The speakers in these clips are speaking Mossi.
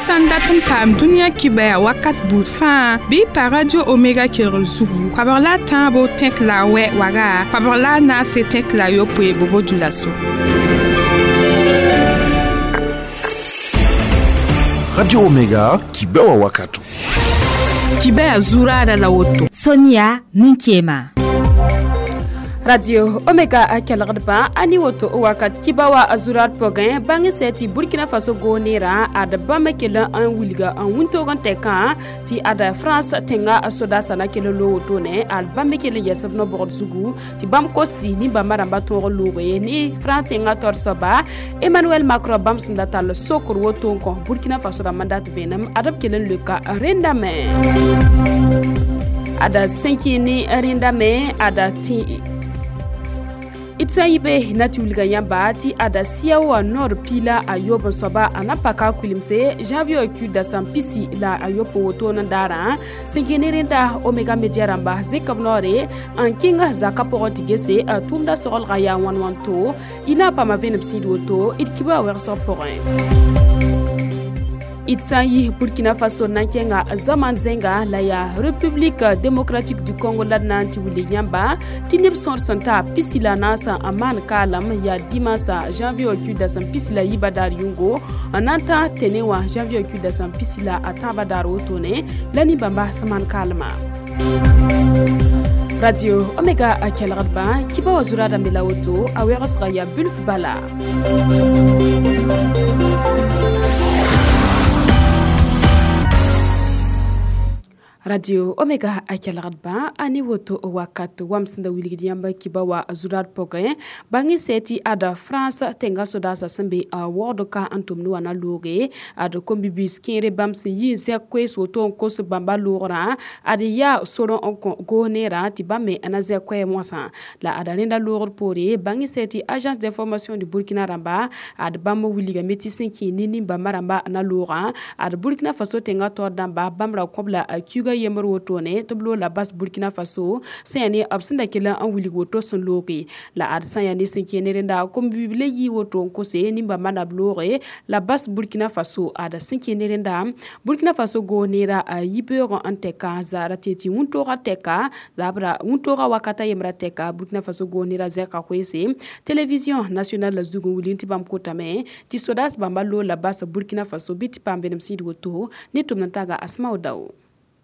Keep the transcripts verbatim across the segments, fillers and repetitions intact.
Sãn dat n paam dũniyã kibaya wakat buud fãa bɩ pa Radio Omega kelgr zugu koabg la a tãabo tẽk la a wɛ waga koabg la a naase tẽk la a yopoe bobo dulaso. Radio Omega kibawa wakato. Kibaya zurada la woto. Sonia Ninkema. Radio Omega a kelgdba ani woto wakat kibawa azurat pogin bangi seti Burkina Faso gonera ad bama kelen an wilga an wuntogon teka ti ada France tenga soda sana kelen lo woto ne al bama kelen yesab no bord zugu ti bam kosti ni bama ramba toro lobe ni France tenga torsoba Emmanuel Macron bam sinda tal sokor woto ko Burkina Faso da mandat venam adab kelen leka rendame ada cinq ni rendame ada ti Itsa yibe na ti wilga yãmba tɩ ada siao nord pila a yob n soaba a na paka kuilemse janvier ku dasam pisi la a yob n woto n daarã sẽn kẽ ne rẽnda Omega Media rãmba zẽk b noore n kẽng zaka pʋgẽ tɩ gese tʋʋmda sogelga yaa wãn wãn to y na n paama vẽenem sĩid woto d kiba wɛgsg pʋgẽ. Itsan yi Burkina Faso nan kẽnga zaman zẽnga la yaa République démocratique du Congo la d na n tɩ wilg yãmba tɩ neb sõor sẽn ta pisi la naasã n maan kaalem yaa dimansa janvier ku dasem pisi la yiibã daar yʋngo n na n tã tẽne wã janvier ku dasem pisi la a tãabã daar wotone la nin-bãmba sẽn maan kaalmã. Radio Omega a kelgdbã kiba wa zurada me la woto a wɛgsga yaa bilf bala. Radio Omega a kelgdba ani woto wakat wamsẽnda wilgd yãmba kiba wa zurad pʋgẽ bãng sɛ tɩ ada France tẽnga sodaasã sẽn be waoogd ka n tʋmd wã na looge ad kom-bibiis kẽere bãmb sẽn yi n zẽk koees woto n kos bãmba loogrã ad yaa sor n kõ goos neerã tɩ bãmb me na zẽk koɛɛm wãsã la ada rẽnda loogr poore bãng sɛ tɩ agence d'information du Burkina rãmba ad bãmb wilgame tɩ sẽn kẽ ne nin-bãmba rãmba na loogã ad Burkina Faso tẽnga taoor dãmba bãmb ra kõb la kiuga yembr wotone tɩ b loog la bas Burkina Faso sẽn yaa ne b sẽn da kell n wilg woto sẽn looge la ad sã n yaa ne sẽn kẽ ne rẽnda kom-bibl yi woto n kose nin-bãmba na b looge la bas Burkina Faso ad sẽn kẽ ne rẽnda Burkina Faso goos neera yibeoog n tɛka zaara tɩ tɩ wũntooga tɛka zabra wũntooga wakata yembra tɛka Burkina Faso goos neera zẽka koeese télévision nationale la zug n wilg tɩ bãmb kotame tɩ sodaas bãmba loog la bas Burkina Faso bɩ tɩ paam vẽenem sĩid woto ne tʋmd n taga Asmao Dao.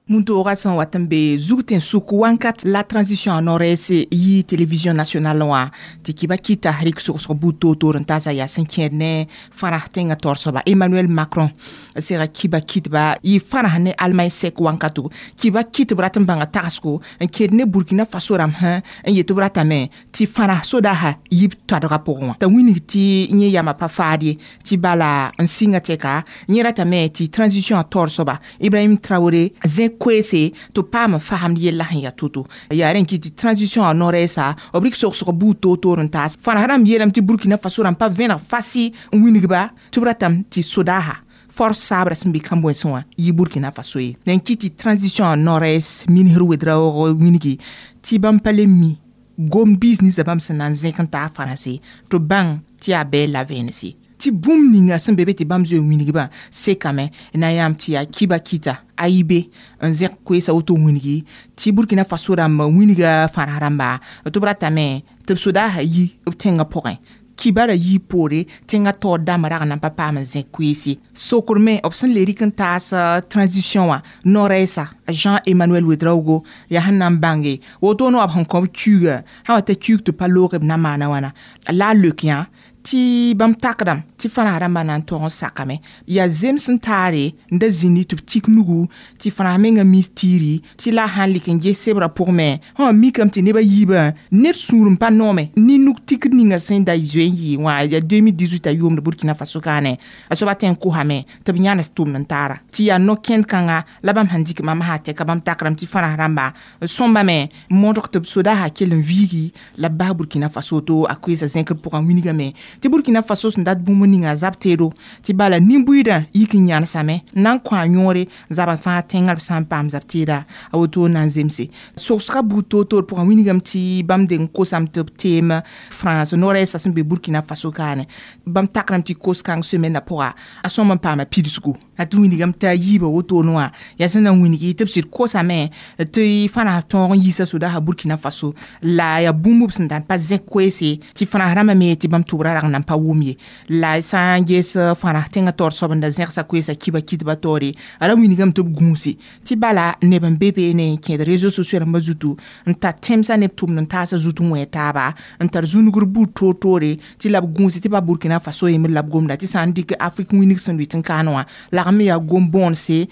Wũntoogã sẽn wat n be zug tẽn-sʋk wãnkat la transition a nord-est yi télévision nationale wã tɩ kiba kɩta rɩk sogsg buud toor-toor n taasa yaa sẽn kẽed ne fãras tẽngã taoor soaba Emmanuel Macron sega kiba kɩtba yɩ fãras ne Allemagne sɛk wãnkato kiba kɩtb rat n bãnga tagsgo n kẽed ne Burkina Faso rãmb sã n yet b ratame tɩ fãras sodaasã yib toadgã pʋgẽ wã t'a wilg tɩ yẽ yamã pa faad ye tɩ bala n sɩnga tɛka yẽ ratame tɩ transition a taoor soaba Ibrahim Traoré zẽ koeese tɩ paam n fasemd yella sẽn yaa to-to yaa rẽn kɩ tɩ transition a nord-est b rɩk sogsg buud toor-toor n taas fãras rãmb yeelame tɩ Burkina Faso rãmb pa vẽneg fasɩ n wilgba tɩ b ratame tɩ sodaasa force sabrã sẽn be kãb-wẽnsẽ wã yɩ Burkina Faso ye n kɩ tɩ transition a nord-est ministr Ouedraogo wilgi tɩ bãmb pa le mi gom-biis ninsã bãmb sẽn na n zẽk n taa fãrãse tɩ bãng tɩ yaa bɛɛl la vẽenese tɩ bũmb ninga sẽn be be tɩ bãmb zoe n wilgbã sekame na yãmb tɩ yaa kiba kɩta a yi be n zẽk koeesã woto wilgi tɩ Burkina Faso rãmb wilga fãras rãmba tɩ b ratame tɩ b sodaasã yi b tẽngã pʋgẽ kiba ra yii poore tẽngã taoor dãmbã rag n na n pa paam n zẽk koeese sokr me b sẽn le rɩk n taas transition wã nord-est Jean Emmanuel Ouedraogo yaa sẽn na n bãnge woto ne wa b sẽn kõ b kiuugã sã wa t'a kiug tɩ pa loog b na maana wãna la a leok yã tɩ bãmb takdame tɩ fãras rãmbã na n tog n sakame yaa zems n taare n da zĩndi tɩ b tik nugu tɩ fãras menga mis tiiri tɩ la a sãn lik n ges sebrã pʋgẽ me sã mikame tɩ neb a yiibã ned sũur n pa noome ne nug tikd ninga sẽn da zoe n yɩ wã yaa deux mille dix-huit a yʋʋmd Burkina Faso kaane a soaba tõe n kosame tɩ b yãnes tʋmd n taara tɩ yaa no-kẽnd kãnga la bãmb sẽn dɩk mam sã tɛka bãmb takrame tɩ fãras rãmba sõmbame modg tɩ b sodaasã kell n viigi la b bas Burkina Faso to a koeesã zẽkr pʋgã wilgame Tɩ Burkina Faso sẽn dat bũmb ninga zab teedo tɩ bala nin-buiidã yik n yãnesame n na n kõ a yõore zabã fãa tẽngã b sã n paam zab teeda a woto na n zemse sogsga buud toor-toor pʋgã wilgame tɩ bãmb deng kosame tɩ b teem France nord-est sẽn be Burkina Faso kaane bãmb takrame tɩ kos-kãng semaine pʋga a sõm n paama pidsgu a tɩ wilgame t'a yiibã wotone wã yaa sẽn na n wilgi tɩ b sɩd kosame tɩ fãnas tõog n yiisa sodaasã Burkina Faso la yaa bũmb b sẽn dãn pa zẽk koeese tɩ fãnas rãmbã me tɩ bãmb tʋbrã rag n nan pa wʋm ye la sã n ges fãnas tẽngã taoor soab n da zẽgsa koeesa kiba kitba taoore a ra wilgame tɩ b gũuse tɩ bala neb n be beene n kẽed réseaux sociaux rãmbã zutu n tar tẽmsã neb tʋmd n taasã zut n wẽ taaba n tar zũnugr buud toor-toore tɩ la b gũuse tɩ pa Burkina Faso yembr la b gomda tɩ sã n dɩk Afrique wĩneg sẽn lʋɩt n kaan wã lagm me yaa gom-bõonse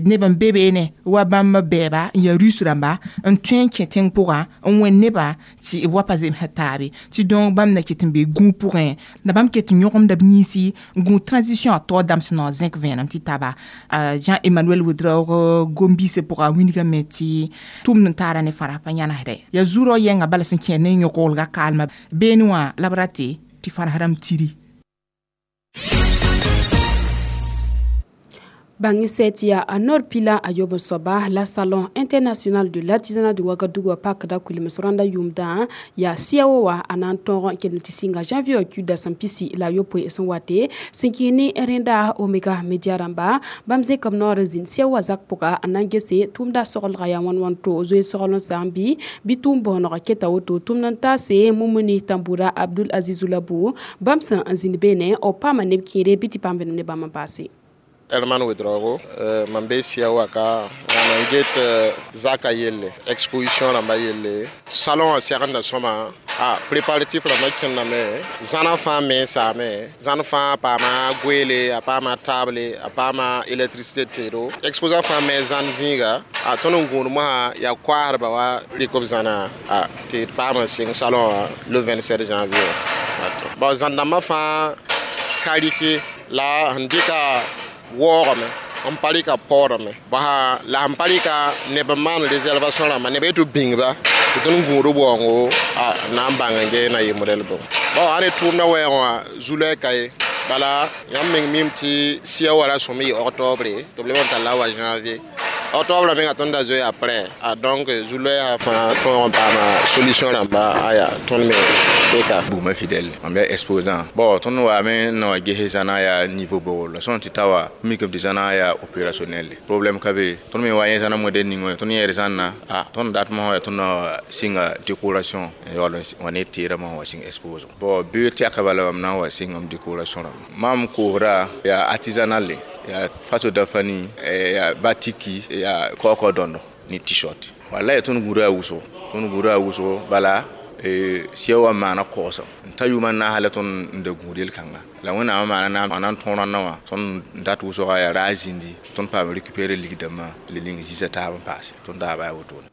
neb n be beene wa bãmb bɛɛba n yaa Russe rãmba n tõe n kẽ tẽng pʋgã n wẽnd nebã tɩ b wa pa zemsd taabe tɩ donc bãmb na ket n be gũug pʋgẽ la bãmb ket n yõgemda b yĩnsi n gũud transition a taoor dãmb sẽn na n zẽk vẽenem tɩ taba Jean Emmanuel Ouedraogo gom-biisã pʋga wilgame tɩ tʋmd n taara ne fãra pa yãnesda yaa zurã yɛnga bala sẽn kẽer ne yõk-wolga kaalmã beene wã la b rate tɩ fãras rãmb tiri. Bangi setia a nord pila a yob soba la Salon international de l'artisanat de Ouagadougou pak da kulim soranda yumda ya siawo wa anan ton kel tisinga janvier ku da sampisi la yopo e son wate sinkini renda Omega Media ramba bamze kam nord zin siawa zak poka anan gese tumda sogol ya wan wan to zo sogolon sambi bitum bono keta woto tumnan tase Mumuni Tambura Abdul Aziz Labu bamsa anzin bene o pama ne kire biti pambe ne bama passé Herman Ouedraogo, euh, mam be sia waka mam get euh, zaka yelle exposition rãmba yelle salon a segenda sõma a préparatif rãmbã kẽndame zãna fãa me saame zãn fãa paama goeele a paama table a paama électricité teedo exposant fãa me zãn zĩiga a tõnd n gũud mosã yaa koaasdba wa rɩk b zãna a tɩ d paam n sɩng salon wã le vingt-sept janvier bon zãn dãmbã fãa ka rɩke la sẽn dɩka waoogame n pa rɩka paoodame basa la sẽn pa rɩka neb n maan réservation rãmba neb yetɩ b bĩngba tɩ tõnd gũud b waoongo a na n bãng n gee na yɩ modɛl bõ bao ãn ne tʋʋmdã wɛɛgẽ wã zu-loɛɛ ka ye bala yãmb meng mim tɩ sia wa ra sõm yɩ octobre tɩ b leb n tall wa janvier octobre menga tõnd da zoe après a donc zu-loɛɛsã fãa tõog n paama solution rãmba aya tõnd me beka bugmã fidèle mam yaa exposant bon tõnd waame n na wa ges zãna yaa niveau bogr la sõn tɩ ta wa mikame tɩ zãna yaa opérationnel problème ka be tõnd me wa yẽ zãna modèle ning wã tõnd yẽed zãnna a tõnd dat mosã yaa tõnd na wa sɩnga décoration n yaool n wa ne teerã mosã wa sɩng expose bon bee tɛka bala mam na n wa sɩngame décoration rãmba mam koosda yaa artisanal yaa faso dafani yaa batiki yaa kaokao dõndo ne t-shirt wala yaa tõnd gũuda a wʋsgo tõnd gũuda a wʋsgo bala sia wa maana koosem n ta yʋʋmã naasã la tõnd n da gũud yel-kãnga la wẽnnaamã maana a na n tõo rãndã wã tõnd n dat wʋsga yaa raa zĩndi tõnd paam récupérer ligdãmbã le ning zĩisã taab n paase tõnd daaba yaa wotone.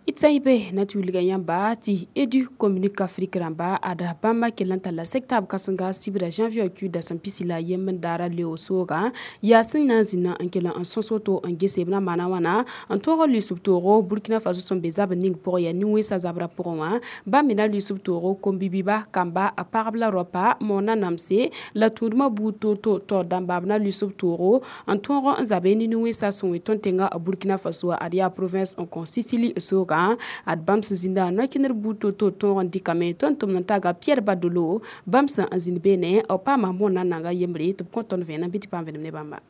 Itsaibe na tɩ wilga yãmba tɩ Edu Communique Afrique rãmba ada bãmba kell n talla sɛk-taab kãsenga sibra janvier ku dasem pisi la yemb n daara leo sooga yaa sẽn na n zĩnã n kell n sõs woto n gese b na maana wãna n tõog n lʋɩs b toogo Burkina Faso sẽn be zabr ning pʋgẽ yaa nin-wẽnsã zabrã pʋgẽ wã bãmb me na lʋɩs b toogo kom-bibiba kamba a pagb la raopa moona namse la tũudmã buud toor-toor taoor dãmba b na lʋɩs b toogo n tõog n zabe ne nin-wẽnsã sẽn wẽ tõnd tẽnga Burkina Faso ad yaa province n kõ Sisili sooga ad bãmb sẽn zĩnda no-kẽnder buud toor-toor tõog n dɩkame tõnd tʋmd n taga Pierre Badolo bãmb sẽn n zĩnd beene b paama moonã nanga yembre tɩ b kõ tõnd vẽenem bɩ tɩ paam vẽenem ne bãmba.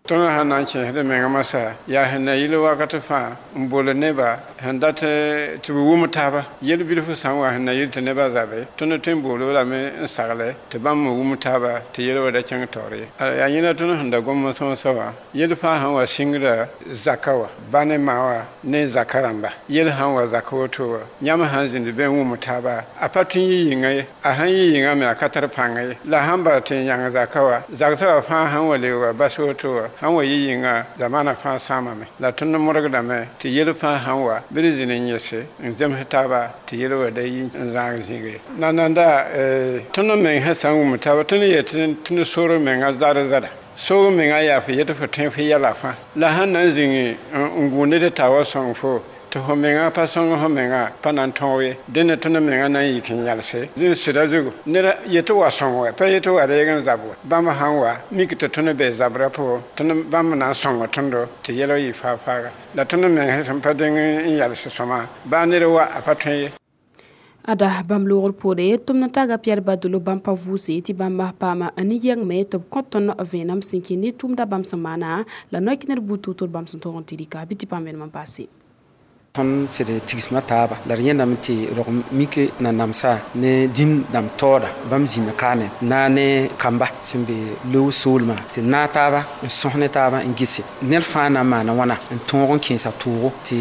Tõnd sẽn na n kẽesd mengã masã yaa sẽn na yɩl wakat fãa n bool neba sẽn dat tɩ b wʋm taaba yel-bilf sã n wa sẽn na yɩl tɩ nebã zabe tõnd tõe n bool-b lame n sagle tɩ bãmb me wʋm taaba tɩ yel wa da kẽng taoor ye yaa yẽna tõnd sẽn da gom n sõsa wã yel fãa sẽn wa sɩngrã zaka wã ba ne ma wã ne zaka rãmba yel sãn wa zak woto wã yãmb sãn zĩnd be n wʋm taaba a pa tõe n yɩ yĩnga ye a sãn yɩ yĩngã me a ka tar pãnga ye la sãn bara tɩ n yãng zaka wã zagsã wã fãa sãn wa leoog wa bas woto wã sãn wa yɩ yĩnga zamana fãa sãamame la tõnd modgdame tɩ yel fãa sãn wa bɩ d zĩnd n yẽse n zems taaba tɩ yel wa da yi n zãag zĩig ye nananda tõnd meng sẽn sã n wʋm taaba tõnd yet tɩ sor menga zar-zara soog menga yaa fo yet fo tõe fo yɛla fãa la sãn na n zĩng n gũud ned t'a wa sõng fo Tɩ fo menga pa sõng fo menga pa na n tõog ye. Dẽnda tõnd menga na n yik n yalse. Dẽ sɩda zugu ned yetɩ wa sõng wɛ, pa yetɩ wa reeg n zab wɛ. Bãmb sãn wa mik tɩ tõnd be zabrã pʋgẽ, tõnd bãmb na n sõnga tõndo tɩ yɛlg yɩ faag-faaga. La tõnd meng sẽn pa deng n yals sõma, baa ned wa a pa tõe ye. Ada bãmb loogr poore tʋmd n taga Pierre Badolo bãmb pa vʋʋse tɩ bãmb paama ne yɛng me tɩ b kõ tõnd vẽenem sẽn kẽ ne tʋʋmda bãmb sẽn maana la noy-kẽner buud toor-toor bãmb sẽn tõog n tɩ rɩka bɩ tɩ paam vẽenem n paase. Tõnd sed tigsmã taaba la d yẽndame tɩ rog mik nanamsa ne dĩn dãmb taooda bãmb zĩnda kaane na ne kamba sẽn be loog soolmã tɩ naag taaba n sõs ne taaba n gese ned fãa na n maana wãna n tõog n kẽesa toogo tɩ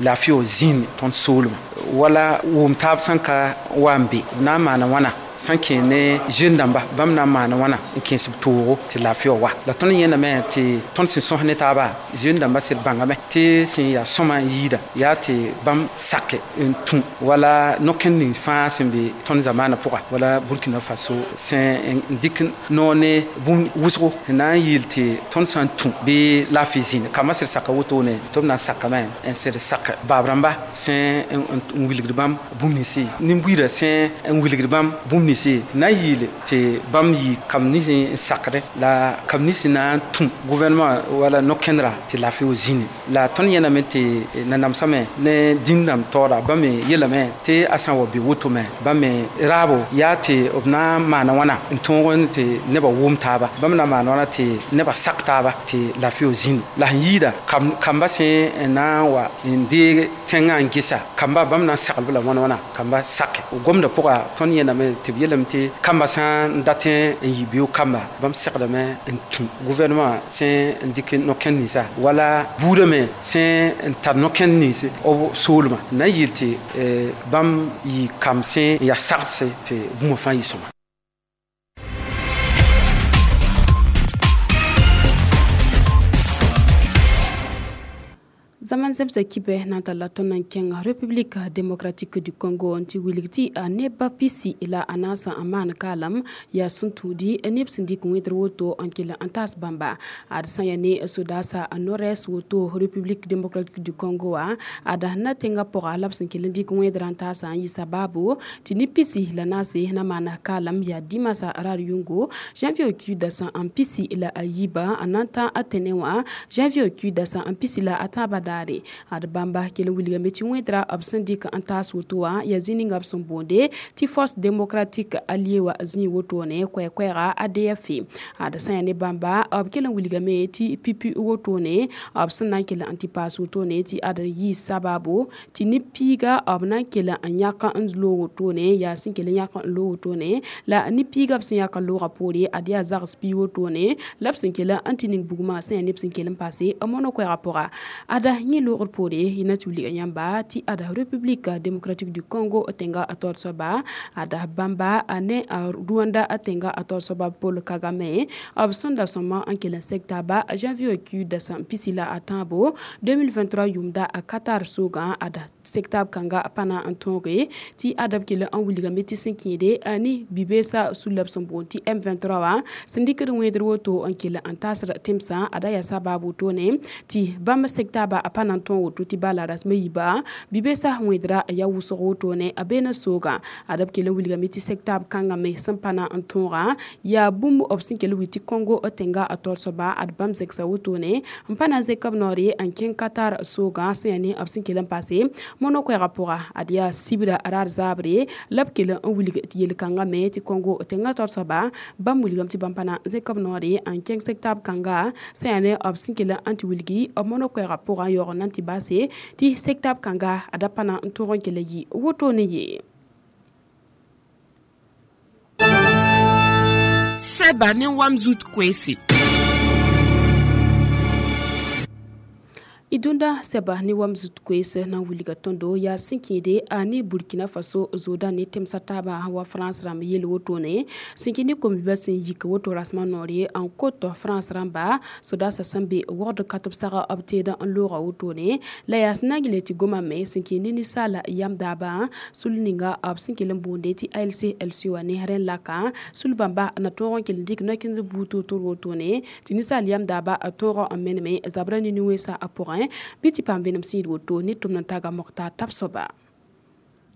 laafɩ wa zĩnd tõnd soolmã wala wʋm taab sẽn ka wa n be b na n maana wãna sẽn kẽ ne jeune dãmba bãmb na n maana wãna n kẽes b toogo tɩ laafɩ wa wa la tõnd yẽndame tɩ tõnd sẽn sõs ne taaba jeune dãmba sɩd bãngame tɩ sẽn yaa sõma n yiida yaa tɩ bãmb sake n tũ wala no-kẽnd ning fãa sẽn be tõnd zamaanã pʋga wala Burkina Faso sẽn n dɩk noor ne bũmb wʋsgo n na n yeel tɩ tõnd sã n tũ bɩ laafɩ zĩnd kambã sɩd saka wotone tɩ b na n sakame n sɩd sak baab rãmba sẽn n wilgd bãmb bũmb ninsi nin-buiidã sẽn n wilgd bãmb bũmb ninsi na n yeel tɩ bãmb yɩ kamb nins n sakdẽ la kamb nins na n tũ gouvernement wala no-kẽndra tɩ laafɩ wa zĩni la tõnd yẽlame tɩ nanamsame ne dĩn dãmb taooda bãmb me yeelame tɩ a sã n wa be woto me bãmb me raabo yaa tɩ b na n maana wãna n tõog tɩ nebã wʋm taaba bãmb na n maana wãna tɩ nebã sak taaba tɩ laafɩ wa zĩni la sẽn yiida kamba sẽn na n wa n deeg tẽngã n gesa kamba bãmb na n saglb la wãna wãna kamba sake gomdã pʋga tõnd yẽndame tɩ b yeelame tɩ kamba sã n dat n yɩ beoog kamba bãmb segdame n tũ gouvernement sẽn n dɩk no-kẽnd ninsa wala buudã me sẽn n tar no-kẽnd nins b soolmã na n yeel tɩ bãmb yɩ kamb sẽn n yaa sagdse tɩ bũmb fãa yɩ sõma. Zaman zemsa kibe na talla tõnd n kẽng République démocratique du Congo n tɩ wilg tɩ neba pisi la a naasã n maan kaalam yaa sẽn tũudi neb sẽn dɩk wẽdr woto n kell n taas bãmba ad sã yaa ne sodaasa nord-est woto République démocratique du Congo wã ad na tẽngã pʋga la b sẽn kell n dɩk wẽdrã n taasã n yɩ sababu tɩ ne pisi la naase na maan kaalam yaa dĩmasa raar yʋngo janvier ki dasã n pisi la a yiibã n na n tã a tẽne wã janvier ki dasã n pisi la a tãabã daare ad bãmba kell n wilgame tɩ wẽdra b sẽn dɩk n taas woto wã yaa zĩ ninga b sẽn boonde tɩ force démocratique alliée wã zĩig wotone koɛɛ-koɛɛga A D F ad sã yaa ne bãmba b kell n wilgame tɩ pipi wotone b sẽn na n kell n tɩ paas wotone tɩ ad yɩ sababu tɩ ne piiga b na n kell n yãk n loog wotone yaa sẽn kell n yãk n loog wotone la ne piiga b sẽn yãk n loogã poore ad yaa zags pii wotone la b sẽn kell n tɩ ning bugmã sã yaa neb sẽn kell n paase mono-koɛɛgã pʋga ada yẽ loogr poore yẽna tɩ wilga yãmba tɩ ada République démocratique du Congo tẽnga a taoor soaba ada bãmba ne Rwanda tẽnga a taoor soaba Paul Kagame b sẽn da sõma n kell n seg taaba janvier ki dasã pisi la a tãabo deux mille vingt-trois yʋʋmda a Qatar soogã ada seg taab kãnga pa na n tõoge tɩ ada b kell n wilgame tɩ sẽn kẽede ne bi-beesã sul la b sẽn boond tɩ M vingt-trois wã sẽn dɩkd wẽedr woto n kell n taasd tẽmsã ada yaa sabab wotone tɩ bãmb seg taaba pa na n tõog woto tɩ bala rasmã yiiba bi-beesã wẽedra yaa wʋsg wotone a beena soogã ad b kell n wilgame tɩ seg taab kãngã me sẽn pa na n tõogã yaa bũmb b sẽn kell n wi tɩ Congo tẽnga a taoor soaba ad bãmb zẽksa wotone n pa na n zẽk b noore n kẽng Qatar soogã sẽn yaa ne b sẽn kell n paase mono-koɛɛgã pʋga ad yaa sibra raar zaabre la b kell n wilg yel-kãngã me tɩ Congo tẽnga taoor soaba bãmb wilgame tɩ bãmb pa na n zẽk b noore n kẽng seg taab kãnga sẽn yaa ne b sẽn kell n tɩ wilgi b mono-koɛɛgã pʋgã yaoog n na n tɩ baase tɩ seg taab kãnga a da pa na n tõog n kell n yɩ wotone ye. Sɛba ne wam zut koeese. Idunda sɛba ne wam zut koees na n wilga tõndo yaa sẽn kẽede a ne Burkina Faso zooda ne tẽmsã taabã wa France rãmb yel wotone sẽn kẽ ne kom-bibã sẽn yik woto rasmã noore n kot France rãmba sodaasã sẽn be wogd ka tɩ b sag b teedã n looga wotone la yaa sẽn na n gilg tɩ goma me sẽn kẽ ne ninsaala yam daabã sul ninga b sẽn kell n boonde tɩ A L C L C wã ne rẽn laka sul bãmba na tõog n kell n dɩk no-kẽnd buud toor-toor wotone tɩ ninsaal yam daabã tõog n meneme zabrã ne nin-wẽnsã a pʋgẽ pʋgẽ bɩ tɩ paam vẽenem sẽn yɩɩd woto ne tʋmd n taga Moktar Tabsoba.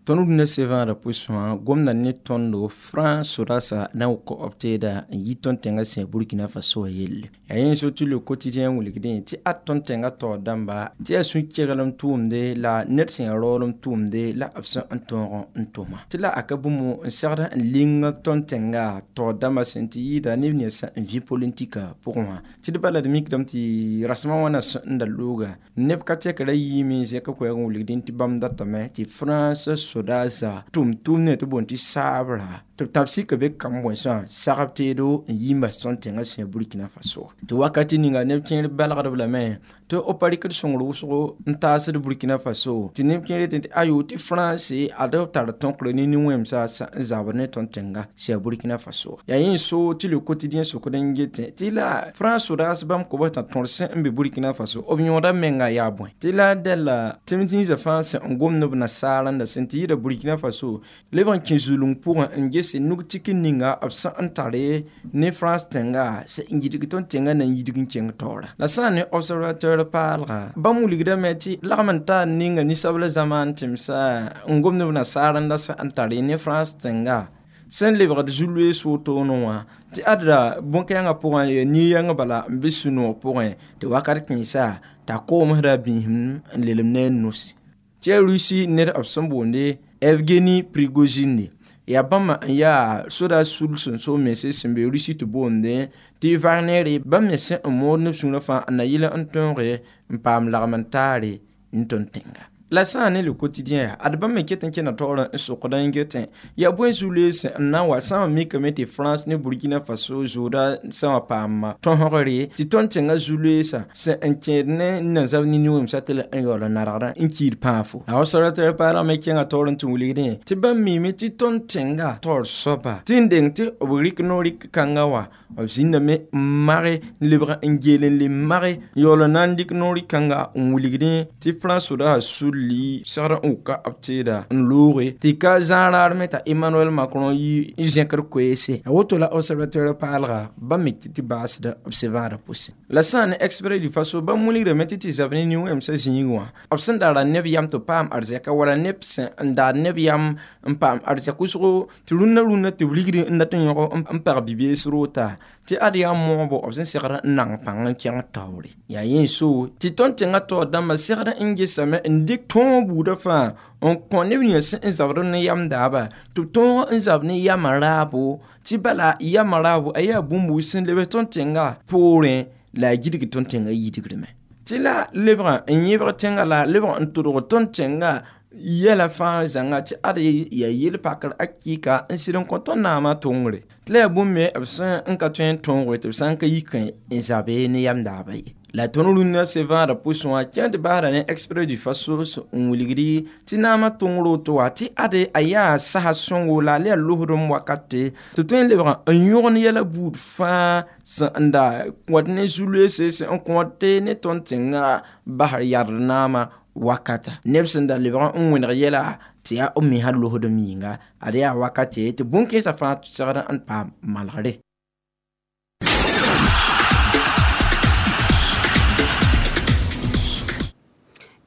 Tõnd rũndã sevãadã pʋsẽ wã gomda ne tõndo France sodaasã na n koab teeda n yi tõnd tẽngã sẽn Burkina Faso wã yelle. Yaa yẽ so tɩ le quotidien wilgdẽ tɩ ad tõnd tẽngã taoor dãmba tɩ yaa sũ-keglem tʋʋmde la ned sẽn yaa raoolem tʋʋmde la b sẽn n tõog n tʋma tɩ la a ka bũmb n segd n ling tõnd tẽngã taoor dãmbã sẽn tɩ yɩɩda neb nensã n vĩ politika pʋgẽ wã tɩ d bala d mikdame tɩ rasmã wãna sẽn da looga neb ka tɛkra yiime zẽk koɛɛg n wilgdẽ tɩ bãmb datame tɩ France sodaasã tʋm-tʋʋm ne tɩ boond tɩ saabra tɩ b tab sika be kamb bõesã sagb teedo n yi n bas tõnd tẽngã sẽn Burkina Faso tɩ wakati ninga neb kẽer balgdb lame tɩ b pa rɩkd sõngr wʋsgo n taasd Burkina Faso tɩ neb kẽer yetẽ tɩ ayo tɩ France ad b tar tõkr ne nin-wẽmsã n zabr ne tõnd tẽnga sẽn Burkina Faso. Yaa yẽ so tɩ le quotidien sokd n getẽ tɩ la France sodaas bãmb kobs t'a tõr sẽn n be Burkina Faso b yõoda menga yaa bõe tɩ la dɛla tɩ m zĩisã fãa sẽn n gomd b nasaarãnda sẽn tɩ yɩɩda Burkina Faso leb n kẽ zulung pʋgẽ n ges nug tik ninga b sẽn n tare ne France tẽnga sẽn n yidg tõnd tẽngã na n yidg n kẽng taoora la sã n ne observateur paalga bãmb wilgdame tɩ lagm n taa ninga ninsabla zamaan tẽmsa n gomd b nasaarãnda sẽn n tare ne France tẽnga sẽn lebgd zu-loees wotone wã tɩ adda bõn-kɛɛngã pʋgẽ yaa nin-yãng bala n be sũ-noog pʋgẽ tɩ wakat kẽesa t'a koomsda biisem n lelem ne a nusi tɩ yaa Russie ned b sẽn boonde Evgeni Prigozhin yaa bãmba n yaa soda sul sẽn so mense sẽn be Russie tɩ boonde tɩ Wagner bãmb me sẽn n mood neb sũurã fãa n na yɩl n tõoge n paam lagm n taare n tõnd tẽnga. La sã ne le quotidien ad bãmb me ket n kẽna taoor n sokd n getẽ yaa bõe zu-loees n na n wa sã n mikame tɩ France ne Burkina Faso zooda sã wã paam tõsgre tɩ tõnd tẽngã zu-loeesã sẽn n kẽed ne n na zab nin-wẽmsã tɩ la n yaool n nargdã n kiid pãafo. La observateur paalg me kẽngã taoor n tɩ wilgdẽ tɩ bãmb miime tɩ tõnd tẽngã taoor soaba tɩ n deng tɩ b rɩk no-rɩk kãngã wã b zĩndame n mage n lebg n geel n le mage n yaool n na n dɩk no-rɩk kãnga n wilgdẽ tɩ France sodaasã sul li segd n wʋka b teeda n looge tɩ ka zãag raad me t'a Emmanuel Macron yi n zẽkd koeese a woto la observateur paalga bãmb me tɩ tɩ baasda b sevãadã pʋsẽ. La sã n ne Express du Faso bãmb wilgdame tɩ tɩ zab ne nin-wẽmsã zĩig wã b sẽn da ra neb yam tɩ paam arzɛka wala neb sẽn n daad neb yam n paam arzɛk wʋsgo tɩ rũnnã rũnnã tɩ b rigd n dat n yõg n pag bi-bees roota tɩ ad yaa moobo b sẽn segd n nang pãng n kẽng taoore. Yaa yẽ so tɩ tõnd tẽngã taoor dãmbã segd n gesame n dɩk tõog buudã fãa n kõ neb nins sẽn zabd ne yam daaba tɩ b tõog n zab ne yamã raabo tɩ bala yamã raabo a yaa bũmb wʋsg sẽn leb tõnd tẽngã poorẽ la a gidg tõnd tẽngã yidgrime tɩ la lebgã n yẽbg tẽngã la lebg n tʋdg tõnd tẽngã yɛla fãa zãnga tɩ ad yaa yel-pakr a kɩka n sɩd n kõ tõnd naamã tʋngre tɩ la yaa bũmb me b sẽn n ka tõe n tõoge tɩ b sã n ka yik n zabe ne yam daaba ye. La tõnd rũndã sevãadã pʋsẽ wã kẽ tɩ basda ne Express du Faso n wilgdi tɩ naamã tõngr woto wã tɩ ade a yaa sasa sõngo la a le yaa losdem wakate tɩ tõe n lebg n yõgen yɛla buud fãa sẽn n da kõt ne zu-loeese sẽn n kõt ne tõnd tẽngã basr yard naamã wakata neb sẽn da lebg n wẽneg yɛla tɩ yaa b mesã losdem yĩnga ad yaa wakate tɩ bũn-kẽensã fãa segd n paam malgre.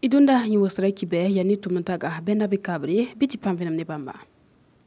Idunda yĩwsra kibɛ ya ne tʋm n taga bɛna be kabre bɩ tɩ paam vẽenem ne bãmba.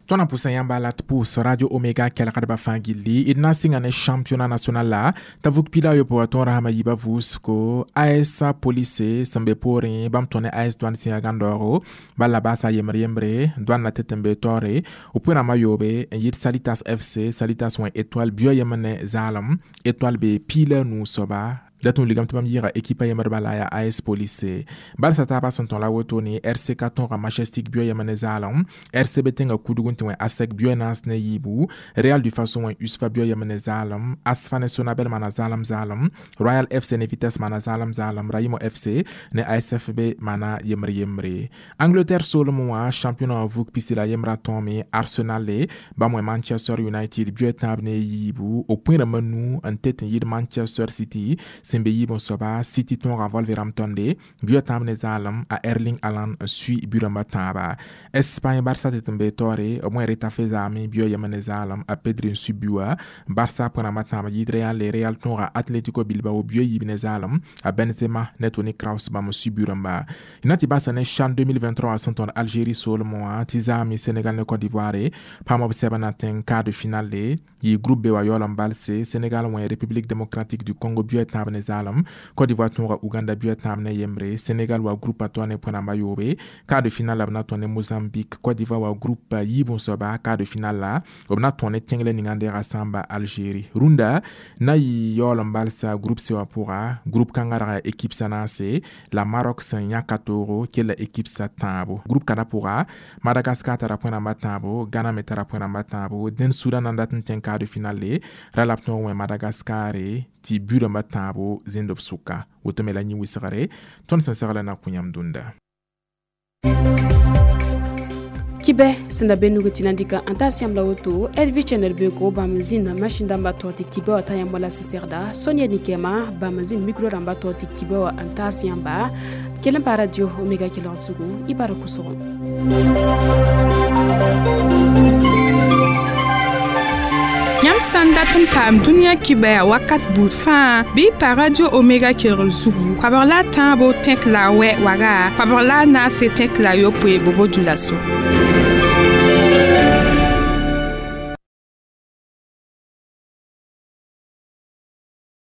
Tõnd na pʋsã yãmba la tɩ pʋʋs Radio Omega kelgdbã fãa gilli d na n sɩnga ne championnat national la t'a vug pila a yopoe wã tõog rasmã yiibã vʋʋsgo A S Police sẽn be poorẽ bãmb tõe ne A S Douane sẽn yaa gãndaoogo bala la baasa yembr yembre Douane na tɩ tɩ n be taoore b pʋɩ-rãmbã yoobe n yɩɩd Salitas F C Salitas wẽ Étoile bio yembr ne zaalem Étoile be piila nuu soaba dat tɩ wilgame tɩ bãmb yɩɩga ekipa yembr bala yaa A S Police barsa taabã sẽn tõe la wotone R C K tõoga Majestic bio yembr ne zaalem R C B tẽngã kudg n tɩ wẽ ASEC bio naas ne yiibu Real du Faso wẽ USFA bio yembr ne zaalem ASFA ne Sonabel maana zaalem zaalem Royal F C ne Vitesse maana zaalem zaalem Raimo F C ne A S F B maana yembr yembre. Angleterre soolem wã championnat vug pisi la yembrã tõome Arsenal le bãmb wẽ Manchester United bio tãab ne yiibu b pʋɩ-rãmbã nu n tet n yɩɩd Manchester City sẽn sẽn be yiib n soaba City tõoga Wolverhampton de buɩ tãab ne zaalem a Erling Haaland n sui bui rãmba tãaba. Espagne Barça tɩ tɩ n be taoore b wẽ Retafe zaame buɩ yema ne zaalem a Pedri n sui bui wã. Barça pʋ rãmba tãab yɩɩd Real le Real tõoga Atletico Bilbao buɩ yiib ne zaalem a Benzema ne Toni Kroos bãmb n sui bui rãmba. Na tɩ basa ne CHAN deux mille vingt-trois sẽn tõd Algérie soolmẽ wã tɩ zaame Sénégal ne Côte d'Ivoire paam b sɛbã na tẽng quart de finale yɩ groupe B wa yaool n balse. Sénégal wẽ République démocratique du Congo buɩ tãab ne zaalem. Côte d'Ivoire tõoga Uganda buɩ tãab ne yembre. Sénégal wa groupe a toa ne pʋ rãmba yoobe, quart de finale la b na tõe ne Mozambique. Côte d'Ivoire wa groupe yiib n soaba, quart de finale la b na tõe ne tẽnglɛ ninga n deega sãamba Algérie. Rũndã na yɩ yaool n balsa groupe C wã pʋga, groupe kãngã rag équipe sã naase la Maroc sẽn yãka toogo kella équipe sa tãabo. Groupe kãda pʋga Madagascar tara pʋ rãmba tãabo, Ghana me tara pʋ rãmba tãabo. Dẽn Sudan na n dat n tẽng quart de finale ra la b tõog wẽ Madagascar tɩ bui rãmba tãabo zẽnd b sʋka. Woto me la yĩ wɩsgre tõnd sẽn segla na kõ yãmb dũnda. Kibɛ sẽn da be nug tɩ na n dɩka n taas yãmb la woto L V Channel beooko bãmb zĩnd masĩn dãmbã tog tɩ kibɛ wã t'a yãmb wala sɩsegda Sonia Nikɛma bãmb zĩnd micro rãmbã tog tɩ kibɛ wã n taas yãmba kell n pa Radio Omega kelgd zugu y bar kʋsgo. Yãmb sã n dat n paam dũniyã kibɛya wakat buud fãa bɩ y pa Radio Omega kelgr zugu koabg la a tãabo tẽk la a wɛ waga koabg la a naase tẽk la a yopoe bobo dioulasso.